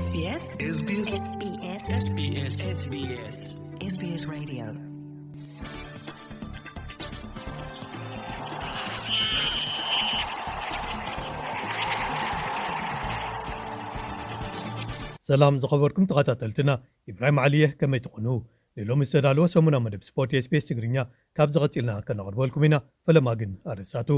SBS SBS SBS SBS SBS Radio. ሰላም ዝኸበርኩም ተኸታተልትና፣ ኢብራሂም ዓሊየ፣ ከመይ ትኾኑ? ንሎሚ ዝተዳለወ ሰሙና መደብ ስፖርት SBS ትግርኛ ካብ ዝቐጺልና ከነቕርበልኩም ኢና። ፈለማ ግን ኣርእስታቱ።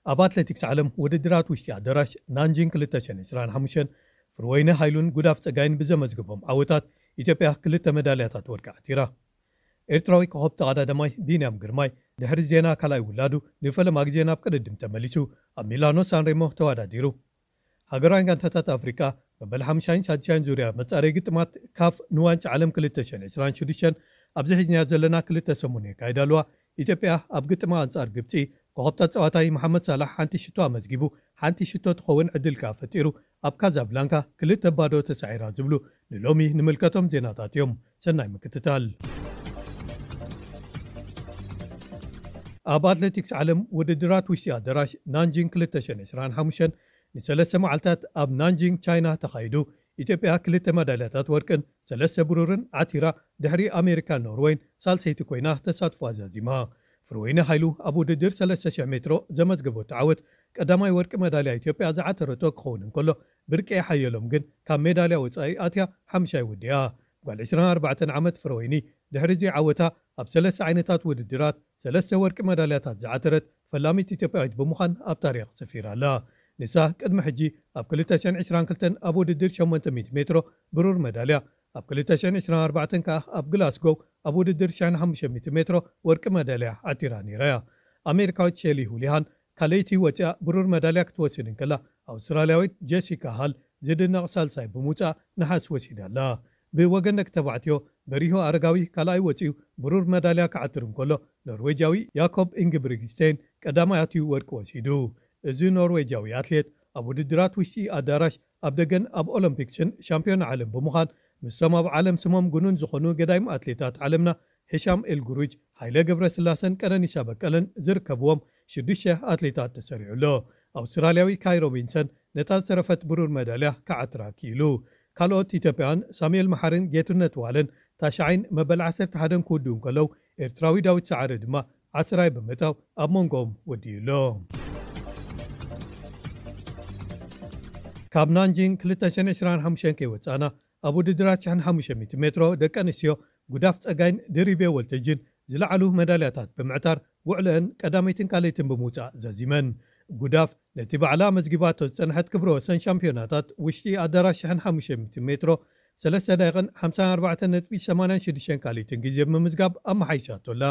ኣብ ኣትሌቲክስ ዓለም ውድድራት ውሽጢ ኣዳራሽ ናንጂን ክልተ ሽሕን ዕስራን ሓሙሽተን፣ ፍርወይነ ሃይሉን ጉዳፍ ጸጋይን ብዘመዝግቦም ዓወታት፣ ኢትዮጵያ ክልተ መዳልያታት ወርቂ ዓቲራ። ኤርትራዊ ኮኸብ ተቐዳዳማይ ቢንያም ግርማይ ድሕሪ ዜና ካልኣይ ውላዱ ንፈለማ ግዜ ናብ ቅድድም ተመሊሱ ኣብ ሚላኖ ሳንሬሞ ተወዳዲሩ። ሃገራውያን ጋንታታት ኣፍሪቃ መበል ሓምሻይን ሳድሻይን ዙርያ መጻረይ ግጥማት ካፍ ንዋንጫ ዓለም ክልተ ሽሕን ዕስራን ሽዱሽተን ኣብዚ ሒዝናዮ ዘለና ክልተ ሰሙን የካይዳ ኣለዋ። ኢትዮጵያ ኣብ ግጥማ ኣንጻር ግብጺ ኮኸብ ተጻዋታይ መሓመድ ሳላሕ ሓንቲ ሽቶ ኣመዝጊቡ፣ ሓንቲ ሽቶ ትኸውን ዕድል ከኣ ፈጢሩ ኣብ ካዛብላንካ ክልተ ባዶ ተሳዒራ ዝብሉ ንሎሚ ንምልከቶም ዜናታት እዮም። ሰናይ ምክትታል። ኣብ ኣትሌቲክስ ዓለም ውድድራት ውሽጢ ኣዳራሽ ናንጂንግ ክልተ ሽሕን ዕስራን ሓሙሽተን ንሰለስተ መዓልታት ኣብ ናንጂንግ ቻይና ተኻይዱ። ኢትዮጵያ ክልተ መዳልያታት ወርቅን ሰለስተ ብሩርን ዓቲራ፣ ድሕሪ ኣሜሪካን ኖርወይን ሳልሰይቲ ኮይና ተሳትፎ ኣዛዚማ። ፍርወይነ ሃይሉ ኣብ ውድድር ሰለስተ ሽሕ ሜትሮ ዘመዝገበቶ ዓወት ቀዳማይ ወርቂ መዳልያ ኢትዮጵያ ዝዓተረቶ ክኸውን እንከሎ፣ ብርቄ ሓየሎም ግን ካብ ሜዳልያ ወጻኢ ኣትያ ሓምሻይ ወዲኣ። ጓል ዕስራን ኣርባዕተን ዓመት ፍረወይኒ ድሕሪ እዚ ዓወታ ኣብ ሰለስተ ዓይነታት ውድድራት ሰለስተ ወርቂ መዳልያታት ዝዓተረት ፈላሚት ኢትዮጵያዊት ብምዃን ኣብ ታሪኽ ሰፊራ ኣላ። ንሳ ቅድሚ ሕጂ ኣብ ክልተ ሽሕን ዕስራን ክልተን ኣብ ውድድር ሸሞንተ ሚእቲ ሜትሮ ብሩር መዳልያ፣ ኣብ ክልተ ሽሕን ዕስራን ኣርባዕተን ከኣ ኣብ ግላስጎው ኣብ ውድድር ሽሕን ሓሙሽተ ሚእቲ ሜትሮ ወርቂ መዳልያ ዓቲራ ነይራ እያ። ኣሜሪካዊት ሼሊ ሁሊሃን ካልኣይቲ ወፂኣ ብሩር መዳልያ ክትወስድ እንከላ፣ ኣውስትራልያዊት ጀሲካ ሃል ዝድነቕ ሳልሳይ ብምውፃእ ነሓስ ወሲዳ ኣላ። ብወገን ደቂ ተባዕትዮ በሪሁ ኣረጋዊ ካልኣይ ወፂኡ ብሩር መዳልያ ክዓትር እንከሎ፣ ኖርዌጃዊ ያኮብ ኢንግብሪግስቴን ቀዳማይ ኣትዩ ወርቂ ወሲዱ። እዚ ኖርዌጃዊ ኣትሌት ኣብ ውድድራት ውሽጢ ኣዳራሽ ኣብ ደገን ኣብ ኦሎምፒክስን ሻምፒዮን ዓለም ብምዃን፣ ምስቶም ኣብ ዓለም ስሞም ግኑን ዝኾኑ ገዳይም ኣትሌታት ዓለምና ሂሻም ኤልጉሩጅ፣ ሃይለ ገብረስላሰን ቀነኒሳ በቀለን ዝርከብዎም ሽዱሽተ ኣትሌታት ተሰሪዑ ኣሎ። ኣውስትራልያዊ ካይ ሮቢንሰን ነታ ዝተረፈት ብሩር መዳልያ ክዓትራ ክኢሉ። ካልኦት ኢትዮጵያውያን ሳሙኤል መሓርን ጌትነት ዋለን ታሽዓይን መበል ዓሰርተ ሓደን ክውድኡ እንከለዉ፣ ኤርትራዊ ዳዊት ሰዓረ ድማ ዓስራይ ብምእታው ኣብ መንጎኦም ወዲኡ ኣሎ። ካብ ናንጂንግ ክልተ ሽሕን ዕስራን ሓሙሽተን ከይወጻእና፣ ኣብ ውድድራት ሽሕን ሓሙሽተ ሚእቲ ሜትሮ ደቂ ኣንስትዮ ጉዳፍ ጸጋይን ድሪቤ ወልተጅን ዝለዓሉ መዳልያታት ብምዕታር ውዕለአን ቀዳመይትን ካልኣይትን ብምውጻእ ዛዚመን። ጉዳፍ ነቲ ባዕላ መዝጊባቶ ዝጸንሐት ክብረ ወሰን ሻምፒዮናታት ውሽጢ ኣዳራሽ ሽሕን ሓሙሽተ ሚእቲ ሜትሮ ሰለስተ ደቂቕን ሓምሳን ኣርባዕተን ነጥቢ ሰማንያን ሽዱሽተን ካልኣይትን ግዜ ብምምዝጋብ ኣመሓይሻቶ ኣላ።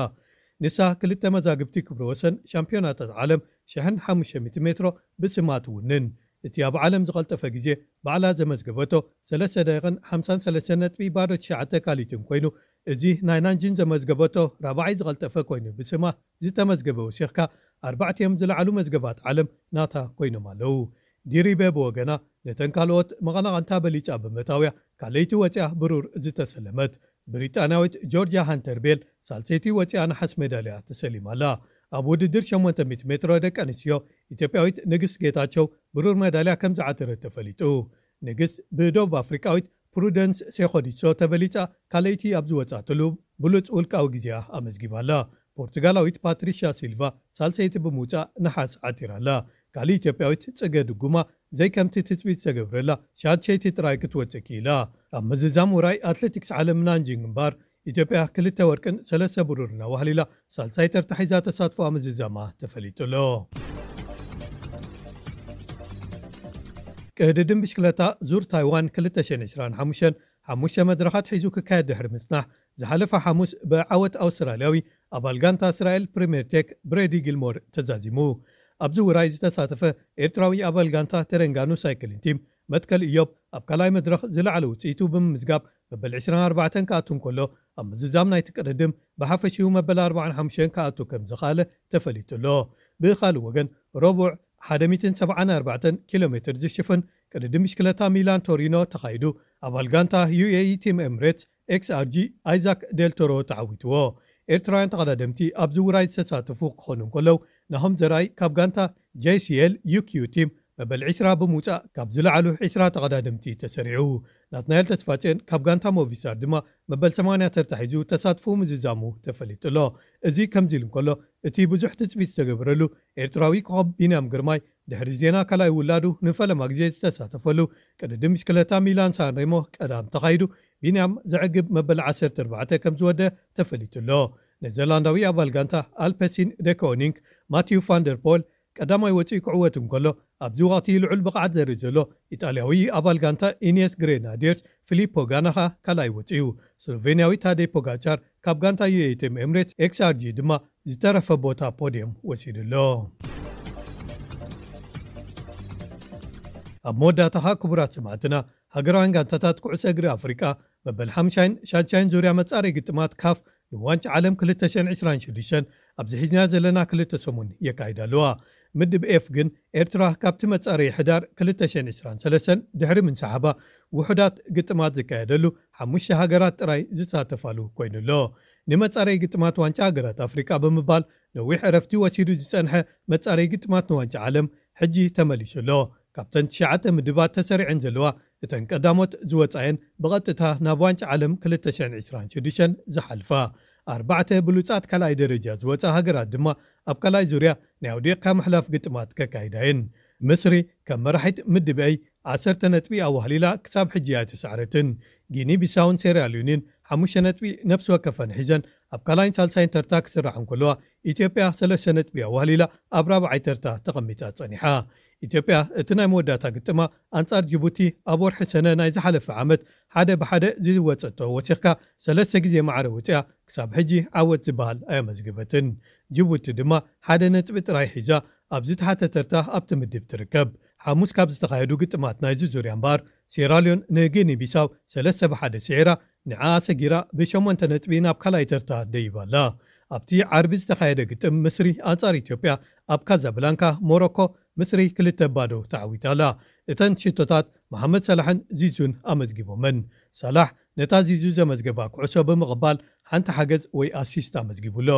ንሳ ክልተ መዛግብቲ ክብረ ወሰን ሻምፒዮናታት ዓለም ሽሕን ሓሙሽተ ሚእቲ ሜትሮ ብስማ ትውንን። እቲ ኣብ ዓለም ዝቐልጠፈ ግዜ ባዕላ ዘመዝገበቶ ሰለስተ ደቂቕን ሓምሳን ሰለስተን ነጥቢ ባዶ ትሽዓተ ካልኣይትን ኮይኑ፣ እዚ ናይ ናንጂን ዘመዝገበቶ ራብዓይ ዝቐልጠፈ ኮይኑ፣ ብስማ ዝተመዝገበ ወሲኽካ ኣርባዕቲኦም ዝለዓሉ መዝገባት ዓለም ናታ ኮይኖም ኣለዉ። ዲሪበ ብወገና ነተን ካልኦት መቐናቕንታ በሊጻ ብምእታውያ ካልኣይቲ ወጺኣ ብሩር ዝተሰለመት። ብሪጣንያዊት ጆርጅያ ሃንተር ቤል ሳልሰይቲ ወጺኣ ነሓስ ሜዳልያ ተሰሊማ ኣላ። ኣብ ውድድር ሸሞንተ ሚእቲ ሜትሮ ደቂ ኣንስትዮ ኢትዮጵያዊት ንግስት ጌታቸው ብሩር ሜዳልያ ከም ዝዓተረት ተፈሊጡ። ንግስት ብደቡብ ኣፍሪቃዊት ፕሩደንስ ሴኾዲሶ ተበሊጻ ካልኣይቲ ኣብ ዝወጻትሉ ብሉጽ ውልቃዊ ግዜኣ ኣመዝጊባ ኣላ። ፖርቱጋላዊት ፓትሪሻ ሲልቫ ሳልሰይቲ ብምውጻእ ነሓስ ዓቲራ ኣላ። ካልእ ኢትዮጵያዊት ጽገ ድጉማ ዘይከምቲ ትጽቢት ዝተገብረላ ሻድሸይቲ ጥራይ ክትወጽእ ክኢላ። ኣብ ምዝዛም ውራይ ኣትሌቲክስ ዓለም ናንጂንግ እምበኣር ኢትዮጵያ ክልተ ወርቅን ሰለስተ ብሩርን ኣዋህሊላ ሳልሳይ ተርታ ሒዛ ተሳትፎኣ ምዝዛማ ተፈሊጡ ኣሎ። ቅድድም ብሽክለታ ዙር ታይዋን ክልተ ሽሕን ዕስራን ሓሙሽተን ሓሙሽተ መድረኻት ሒዙ ክካየድ ድሕሪ ምጽናሕ፣ ዝሓለፈ ሓሙስ ብዓወት ኣውስትራልያዊ ኣባል ጋንታ እስራኤል ፕሪምየር ቴክ ብሬዲ ጊልሞር ተዛዚሙ። ኣብዚ ውራይ ዝተሳተፈ ኤርትራዊ ኣባል ጋንታ ተረንጋኑ ሳይክሊን ቲም መትከል እዮብ ኣብ ካልኣይ መድረኽ ዝለዓለ ውጽኢቱ ብምምዝጋብ መበል ዕስራን ኣርባዕተን ክኣቱ እንከሎ፣ ኣብ ምዝዛም ናይቲ ቅድድም ብሓፈሽኡ መበል ኣርባዓን ሓሙሽተን ክኣቱ ከም ዝኸኣለ ተፈሊጡ ኣሎ። ብኻልእ ወገን፣ ረቡዕ ሓደ ሚእትን ሰብዓን ኣርባዕተን ኪሎ ሜትር ዝሽፍን ቅድድም ብሽክለታ ሚላን ቶሪኖ ተኻይዱ፣ ኣባል ጋንታ ዩ ኤ ኢ ቲም ኤምሬትስ ኤክስ ኣር ጂ ኣይዛክ ዴልቶሮ ተዓዊትዎ። ኤርትራውያን ተቐዳደምቲ ኣብዚ ውራይ ዝተሳተፉ ክኾኑ እንከለዉ፣ ናሆም ዘርኣይ ካብ ጋንታ ጄ ሲ ኤል ዩ ኪዩ ቲም፣ መበል ዕስራ ብምውጻእ ካብ ዝለዓሉ ዕስራ ተቐዳደምቲ ተሰሪዑ። ናትናኤል ተስፋጽዮን ካብ ጋንታ ሞቪስታር ድማ መበል ሰማንያ ተርታ ሒዙ ተሳትፎ ምዝዛሙ ተፈሊጡ ኣሎ። እዚ ከምዚ ኢሉ እንከሎ፣ እቲ ብዙሕ ትጽቢት ዝተገበረሉ ኤርትራዊ ኮኸብ ቢንያም ግርማይ ድሕሪ ዜና ካልኣይ ውላዱ ንፈለማ ግዜ ዝተሳተፈሉ ቅድድም ብሽክለታ ሚላን ሳንሬሞ ቀዳም ተኻይዱ፣ ቢንያም ዘዕግብ መበል ዓሰርተ ኣርባዕተ ከም ዝወደ ተፈሊጡ ኣሎ። ኔዘርላንዳዊ ኣባል ጋንታ ኣልፐሲን ደኮኒንግ ማቲዩ ፋንደርፖል ቀዳማይ ወፂኡ ክዕወት እንከሎ፣ ኣብዚ ወቕቲ ልዑል ብቕዓት ዘርኢ ዘሎ ኢጣልያዊ ኣባል ጋንታ ኢኒየስ ግሬናዲየርስ ፊሊፖ ጋናኻ ካልኣይ ወፂኡ። ስሎቬንያዊ ታዴ ፖጋቻር ካብ ጋንታ ዩኤቲኤም ኤምሬትስ ኤክስኣርጂ ድማ ዝተረፈ ቦታ ፖድየም ወሲዱ ኣሎ። ኣብ መወዳእታኻ ክቡራት ሰማዕትና፣ ሃገራውያን ጋንታታት ኩዕሶ እግሪ ኣፍሪቃ መበል ሓምሻይን ሻድሻይን ዙርያ መጻረይ ግጥማት ካፍ ንዋንጫ ዓለም ክልተ ሽሕን ዕስራን ሽዱሽተን ኣብዚ ሒዝና ዘለና ክልተ ሰሙን የካይዳ ኣለዋ። ምድብ ኤፍ ግን ኤርትራ ካብቲ መጻረይ ሕዳር ክልተ ሽሕን ዕስራን ሰለስተን ድሕሪ ምንሳሓባ ውሑዳት ግጥማት ዝካየደሉ ሓሙሽተ ሃገራት ጥራይ ዝሳተፋሉ ኮይኑ ኣሎ። ንመጻረይ ግጥማት ዋንጫ ሃገራት ኣፍሪቃ ብምባል ነዊሕ ዕረፍቲ ወሲዱ ዝጸንሐ መጻረይ ግጥማት ንዋንጫ ዓለም ሕጂ ተመሊሱ ኣሎ። ካብተን ትሽዓተ ምድባት ተሰሪዐን ዘለዋ እተን ቀዳሞት ዝወጻየን ብቐጥታ ናብ ዋንጫ ዓለም ክልተ ሽሕን ዕስራን ሽዱሽተን ዝሓልፋ። ኣርባዕተ ብሉጻት ካልኣይ ደረጃ ዝወጻ ሃገራት ድማ ኣብ ካልኣይ ዙርያ ናይ ኣውዲቕካ ምሕላፍ ግጥማት ከካይዳ እየን። ምስሪ ከም መራሒት ምድብ ኤይ ዓሰርተ ነጥቢ ኣዋህሊላ ክሳብ ሕጂ ኣይተሳዕረትን። ጊኒ ቢሳውን ሴራልዮንን ሓሙሽተ ነጥቢ ነፍሲ ወከፈን ሒዘን ኣብ ካልኣይን ሳልሳይን ተርታ ክስራዓ እንከለዋ፣ ኢትዮጵያ ሰለስተ ነጥቢ ኣዋህሊላ ኣብ ራብዓይ ተርታ ተቐሚጣ ጸኒሓ። ኢትዮጵያ እቲ ናይ መወዳእታ ግጥማ ኣንጻር ጅቡቲ ኣብ ወርሒ ሰነ ናይ ዝሓለፈ ዓመት ሓደ ብሓደ ዝወጸቶ ወሲኽካ ሰለስተ ግዜ ማዕረ ውጽያ ክሳብ ሕጂ ዓወት ዝበሃል ኣየመዝገበትን። ጅቡቲ ድማ ሓደ ነጥቢ ጥራይ ሒዛ ኣብ ዝተሓተ ተርታ ኣብቲ ምድብ ትርከብ። ሓሙስ ካብ ዝተኻየዱ ግጥማት ናይዚ ዙርያ እምበኣር፣ ሴራልዮን ንጊኒ ቢሳው ሰለስተ ብሓደ ስዒራ፣ ንዓኣ ሰጊራ ብሸሞንተ ነጥቢ ናብ ካልኣይ ተርታ ደይባ ኣላ። ኣብቲ ዓርቢ ዝተኻየደ ግጥም ምስሪ ኣንጻር ኢትዮጵያ ኣብ ካዛብላንካ ሞሮኮ፣ ምስሪ ክልተ ባዶ ተዓዊታ ኣላ። እተን ሽቶታት መሓመድ ሰላሕን ዚዙን ኣመዝጊቦመን። ሰላሕ ነታ ዚዙ ዘመዝገባ ኩዕሶ ብምቕባል ሓንቲ ሓገዝ ወይ ኣሲስት ኣመዝጊቡ ኣሎ።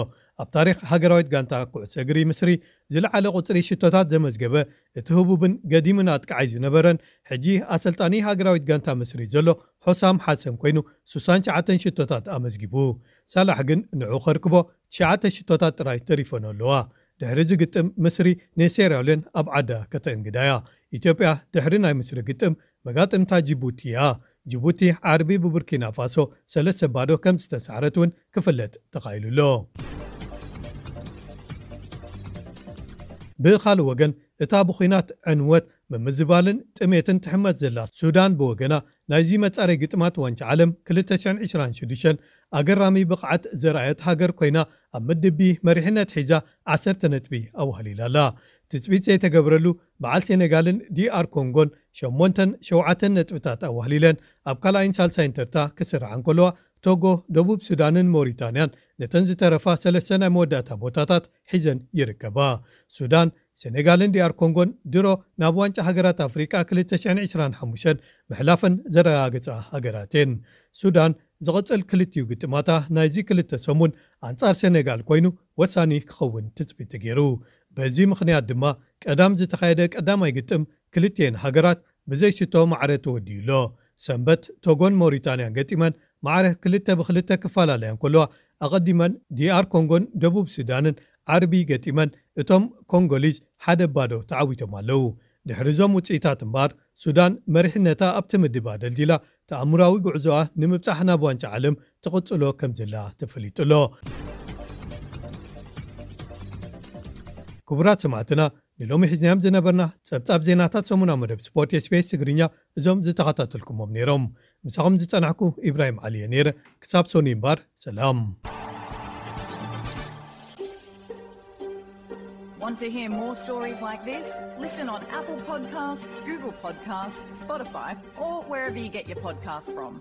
ኣብ ታሪኽ ሃገራዊት ጋንታ ኩዕሶ እግሪ ምስሪ ዝለዓለ ቁጽሪ ሽቶታት ዘመዝገበ፣ እቲ ህቡብን ገዲምን ኣጥቃዓይ ዝነበረን፣ ሕጂ ኣሰልጣኒ ሃገራዊት ጋንታ ምስሪ ዘሎ ሖሳም ሓሰን ኮይኑ፣ ስሳን ትሽዓተን ሽቶታት ኣመዝጊቡ። ሳላሕ ግን ንዑ ከርክቦ ትሽዓተ ሽቶታት ጥራይ ተሪፈን ኣለዋ። ድሕሪ እዚ ግጥም ምስሪ ንሴራልዮን ኣብ ዓዳ ከተእንግዳ እያ። ኢትዮጵያ ድሕሪ ናይ ምስሪ ግጥም መጋጥምታ ጅቡቲ እያ። ጅቡቲ ዓርቢ ብቡርኪና ፋሶ ሰለስተ ባዶ ከም ዝተሳዕረት እውን ክፍለጥ ተኻኢሉ ኣሎ። ብኻልእ ወገን፣ እታ ብኹናት ዕንወት፣ ምምዝባልን ጥሜትን ትሕመስ ዘላ ሱዳን ብወገና፣ ናይዚ መጻረይ ግጥማት ዋንጫ ዓለም ክልተ ሽሕን ዕስራን ሽዱሽተን ኣገራሚ ብቕዓት ዘርኣየት ሃገር ኮይና፣ ኣብ ምድብ ቢ መሪሕነት ሒዛ ዓሰርተ ነጥቢ ኣዋህሊላ ኣላ። ትጽቢት ዘይተገብረሉ በዓል ሴኔጋልን ዲኣር ኮንጎን ሸሞንተን ሸውዓተን ነጥብታት ኣዋህሊለን ኣብ ካልኣይን ሳልሳይን ተርታ ክስርዓ እንከለዋ፣ ቶጎ፣ ደቡብ ሱዳንን ሞሪታንያን ነተን ዝተረፋ ሰለስተ ናይ መወዳእታ ቦታታት ሒዘን ይርከባ። ሱዳን፣ ሴኔጋልን ዲኣር ኮንጎን ድሮ ናብ ዋንጫ ሃገራት ኣፍሪቃ ክልተ ሽሕን ዕስራን ሓሙሽተን ምሕላፈን ዘረጋገጻ ሃገራት እየን። ሱዳን ዝቕጽል ክልቲኡ ግጥማታ ናይዚ ክልተ ሰሙን ኣንጻር ሴኔጋል ኮይኑ ወሳኒ ክኸውን ትጽቢት ተገይሩ። በዚ ምኽንያት ድማ ቀዳም ዝተኻየደ ቀዳማይ ግጥም ክልቲኤን ሃገራት ብዘይሽቶ ማዕረ ተወዲኡ ኣሎ። ሰንበት ቶጎን ሞሪታንያን ገጢመን ማዕረ ክልተ ብክልተ ክፈላለያ እንከለዋ፣ ኣቐዲመን ዲኣር ኮንጎን ደቡብ ሱዳንን ዓርቢ ገጢመን እቶም ኮንጎሊዝ ሓደ ባዶ ተዓዊቶም ኣለዉ። ድሕሪ እዞም ውጽኢታት እምበኣር፣ ሱዳን መሪሕነታ ኣብቲ ምድብ ኣደልዲላ ተኣምራዊ ጉዕዞኣ ንምብጻሕ ናብ ዋንጫ ዓለም ትቕጽሎ ከም ዘላ ተፈሊጡ ኣሎ። ክቡራት ሰማዕትና፣ ንሎሚ ሒዝናዮም ዝነበርና ጸብጻብ ዜናታት ሰሙናዊ መደብ ስፖርት ኤስቢኤስ ትግርኛ እዞም ዝተኸታተልኩሞም ነይሮም። ምሳኹም ዝጸናሕኩ ኢብራሂም ዓሊ እየ ነይረ። ክሳብ ሶኒ እምበኣር፣ ሰላም። Want to hear more stories like this? Listen on Apple Podcasts, Google Podcasts, Spotify, or wherever you get your podcasts from.